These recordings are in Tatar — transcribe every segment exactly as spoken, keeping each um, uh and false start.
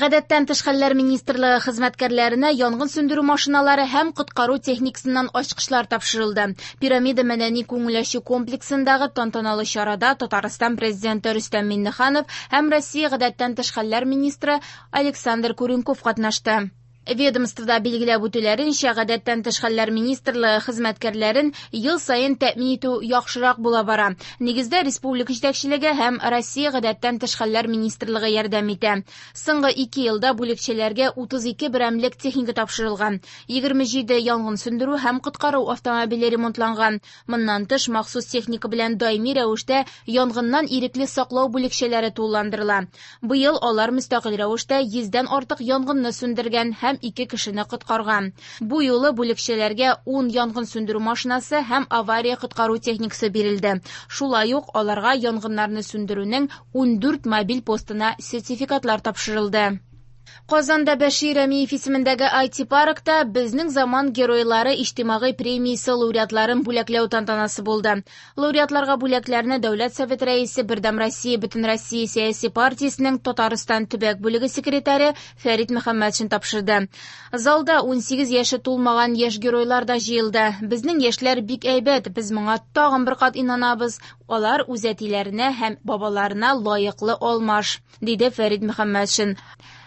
Гадәттән тыш хәлләр министрлыгы хезмәткәрләренә янгын сүндерү машиналары һәм коткару техникасыннан ачкычлар тапшырылды. Пирамида мәдәни күңел ачу комплексындагы тантаналы чарада Татарстан президенты Рөстәм Миңнеханов һәм Россия гадәттән тыш хәлләр министры Александр Куренков катнашты. Ведомствода билгеләп үтүләренчә, гадәттән тыш хәлләр министрлыгы хезмәткәрләрен ел саен тәэмин итү яхшырак була бара. Нигездә республика җитәкчелеге һәм Россия гадәттән тыш хәлләр министрлыгы ярдәм итә. Соңгы ике елда бүлекчәләргә утыз ике берәмлек техника тапшырылган. егерме җиде янгын сүндерү һәм коткару автомобиле ремонтланган. Моннан тыш махсус техника белән даими рәвештә янгыннан ирекле саклау бүлекчәләре тулыландырыла. Быел алар мөстәкыйль рәвештә йөздән артык янгынны сүндергән һәм ике кешене коткарган. Бу юлы бүлекчәләргә ун янгын сүндерү машинасы һәм авария коткару техникасы бирелде. Шулай ук аларга янгыннарны сүндерүнең ундүрт мобиль постына сертификатлар тапшырылды. Казанда Бәшир Рәмиев исемендәге ай ти-паркта Безнең заман геройлары иҗтимагый премиясе лауреатларын бүләкләү тантанасы булды. Лауреатларга бүләкләрне Дәүләт Советы рәисе, Бердәм Россия Бөтенроссия сәяси партиясенең Татарстан төбәк бүлеге секретаре Фәрит Мөхәммәтшин тапшырды. Залда унсигез яше тулмаган яшь геройлар да җыелды. Безнең яшьләр бик әйбәт, без моңа тагын бер кат инанабыз. Алар үз әтиләренә һәм бабаларына лаеклы алмаш, диде Фәрит Мөхәммәтшин.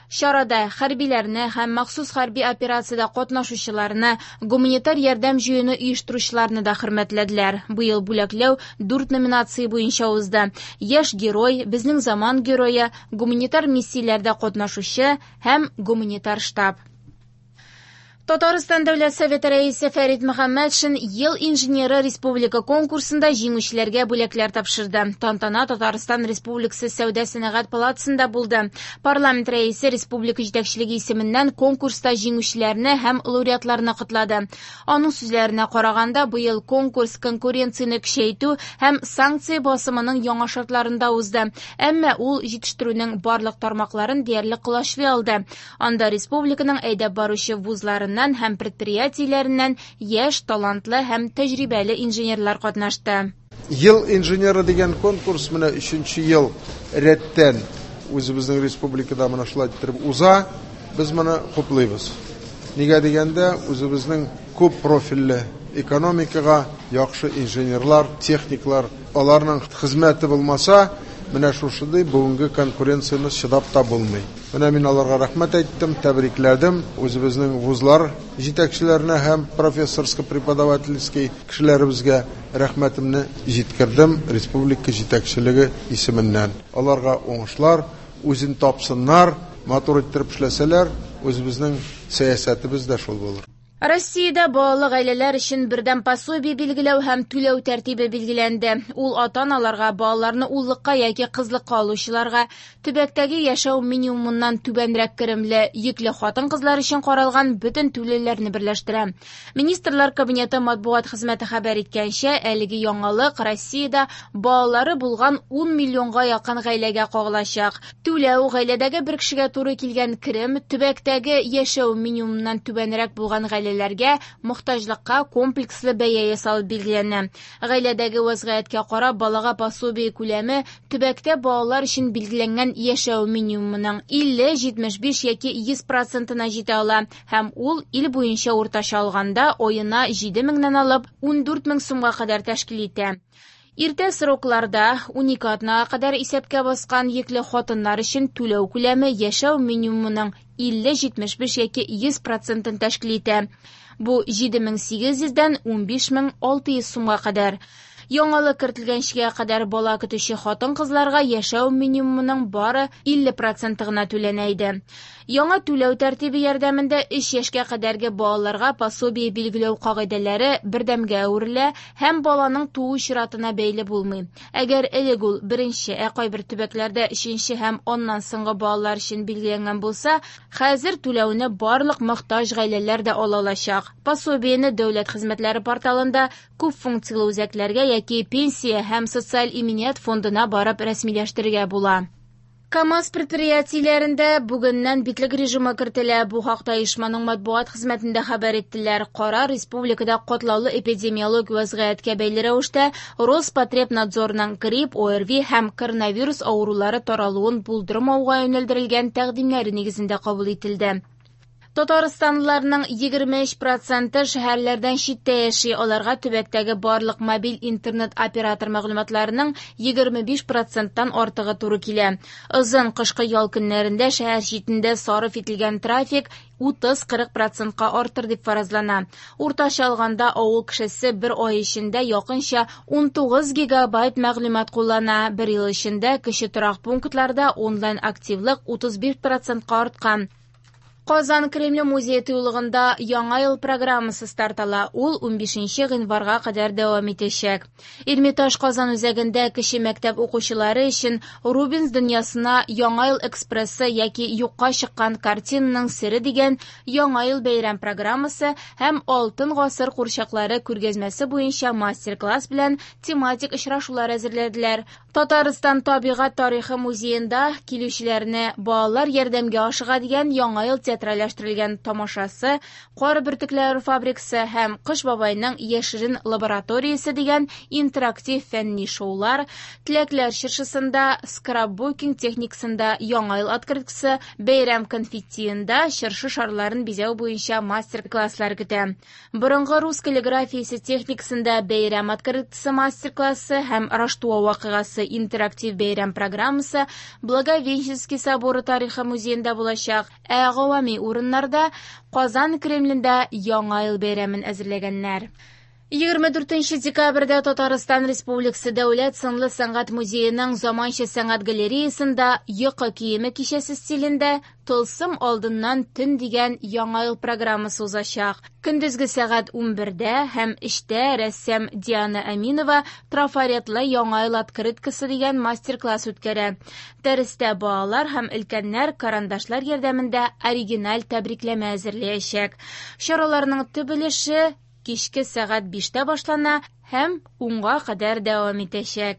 Чарада хәрбиләрне һәм махсус хәрби операциядә катнашучыларны, гуманитар ярдәм җыюны оештыручыларны да хөрмәтләделәр. Быел бүләкләү дүрт номинация буенча узды. Яшь герой, безнең заман герое, гуманитар миссияләрдә катнашучы һәм гуманитар штаб. Татарстан Дәүләт Советы рәисе Фәрит Мөхәммәтшин Ел инженеры республика конкурсында җиңүчеләргә бүләкләр тапшырды. Тантана Татарстан Республикасы Сәүдә сәнәгать палатасында булды. Парламент рәисе республика җитәкчелеге исеменнән конкурста җиңүчеләрне һәм лауреатларны котлады. Аның сүзләренә караганда, быел конкурс конкуренцияне көчәйтү һәм санкция басымының яңа шартларында узды. Әмма ул җитештерүнең барлык тармакларын диярлек колачлый алды. Анда республиканың әйдәп баручы вузларыннан һәм предприятиеләреннән яшь, талантлы һәм тәҗрибәле инженерлар катнашты. Ел инженеры дигән конкурс менә өченче ел рәттән үзебезнең республикада менә шулай иттереп уза. Без моны хуплыйбыз. Нигә дигәндә, үзебезнең күп профильле экономикага яхшы инженерлар, техниклар, аларның хезмәте булмаса, менә шушындый бүгенге конкуренцияне чыдап та булмый. Менә мин аларга рәхмәт әйттем, тәбрикләдем. Үзебезнең вузлар җитәкчеләренә һәм профессорско-преподавательский кешеләребезгә рәхмәтемне җиткердем республика җитәкчелеге исеменнән. Аларга уңышлар, үзен тапсыннар, матур иттереп эшләсәләр, үзебезнең сәясәтебез дә шул булыр. Россиядә балалы гаиләләр өчен бердәм пособие билгеләү һәм түләү тәртибе билгеләнде. Ул ата-аналарга балаларны уллыкка яки кызлыкка алучыларга, төбәктәге яшәү минимумыннан түбәнрәк керемле йөкле хатын-кызлар өчен каралган бөтен түләүләрне берләштерә. Министрлар Кабинеты матбугат хезмәте хәбәр иткәнчә, әлеге яңалык Россиядә балалары булган ун миллионга якын гаиләгә кагылачак. Түләү гаиләдәге бер кешегә туры килгән керем, төбәктәге яшәү минимумыннан түбәнрәк булган гаилә гаиләләргә мохтаҗлыкка комплекслы бәя ясалып билгеләнә. Гаиләдәге вазгыятькә карап, балага пособие күләме төбәктә балалар өчен билгеләнгән яшәү минимумының илле, җитмеш биш яки йөз процентына җитә ала һәм ул ил буенча уртача алганда аена җиде меңнән алып ундүрт мең сумга кадәр тәшкил итә. Иртә срокларда унике атнага кадәр исәпкә баскан йөкле хатыннар өчен түләү күләме яшәү минимумының илле, җитмеш биш яки йөз процентын тәшкил итә. Бу җиде мең сигез йөздән унбиш мең алты йөз сумга кадәр. Яңалык кертелгәнчегә кадәр бала көтүче хатын-кызларга яшәү минимумының бары илле проценты гына түләнә иде. Яңа түләү тәртибе ярдәмендә өч яшькә кадәрге балаларга пособие билгеләү кагыйдәләре бердәмгә әверелә һәм баланың туу чиратына бәйле булмый. Әгәр элек ул беренче, ә кайбер төбәкләрдә өченче һәм аннан соңгы балалар өчен билгеләнгән булса, хәзер түләүне барлык мохтаҗ гаиләләр дә ала алачак. Пособиене дәүләт хезмәтләре порталында күп функцияле үзәкләргә яки пенсия һәм социаль иминият фондына барып рәсмиләштерергә була. КАМАЗ предприятиеләрендә бүгеннән битлек режимы кертелә. Бу хакта оешманың матбугат хезмәтендә хәбәр иттеләр. Карар республикада катлаулы эпидемиологик вазгыятькә бәйле рәвештә Роспотребнадзорның грипп, ОРВИ һәм коронавирус авырулары таралуын булдырмауга юнәлдерелгән тәкъдимнәре нигезендә кабул ителде. Татарстанлыларның егерме өч проценты шәһәрләрдән читтә яши. Аларга төбәктәге барлык мобиль интернет оператор мәгълүматларының егерме биш проценттан артыгы туры килә. Озын кышкы ял көннәрендә шәһәр читендә сарыф ителгән трафик утыз-кырык процентка артыр дип фаразлана. Уртача алганда авыл кешесе бер ай эчендә якынча ун тугыз гигабайт мәгълүмат куллана. Бер ел эчендә кече торак пунктларда онлайн активлык утыз биш процентка арткан. Казан Кремле музее тыюлыгында Яңа ел программасы старт ала. Ул унбишенче гыйнварга кадәр дәвам итәчәк. Эрмитаж Казан үзәгендә кече мәктәп укучылары өчен Рубенс дөньясына Яңа ел экспрессы яки юкка чыккан картинаның сере дигән Яңа ел бәйрәм программасы һәм Алтын гасыр курчаклары күргәзмәсе буенча мастер-класс белән тематик очрашулар әзерләделәр. Татарстан табигать тарихы музеенда килүчеләрне балалар ярдәмгә ашыга дигән Яңа ел театральләштерелгән тамашасы, кар бөртекләре фабрикасы һәм Кыш бабайның яшерен лабораториясе дигән интерактив фәнни шоулар, теләкләр чыршысында, скрапбукинг техникасында Яңа ел открыткасы, бәйрәм конфеттиында чыршы шарларын бизәү буенча мастер-класслар көтә. Борынгы рус каллиграфиясе техникасында бәйрәм открыткасы мастер-классы һәм Раштуа вакыйгасы интерактив бәйрәм программасы Благовещенский соборы тарихы музеенда булачак. Ә гавами урыннарда Казан Кремлендә Яңа ел бәйрәмен әзерләгәннәр. Егерме дүртенче декабрьдә Татарстан Республикасы Дәүләт сынлы сәнгать музееның заманча сәнгать галереясында йокы киеме кичәсе стилендә Тылсым алдыннан төн дигән Яңа ел программасы узачак. Көндезге сәгать унбердә һәм өчтә рәссам Диана Әминова трафаретлы Яңа ел открыткасы дигән мастер-класс үткәрә. Дәрестә балалар һәм өлкәннәр карандашлар ярдәмендә оригиналь тәбрикләмә әзерләячәк. Чараларның төп өлеше кичке сәгать биштә башлана һәм унга кадәр дәвам итәчәк.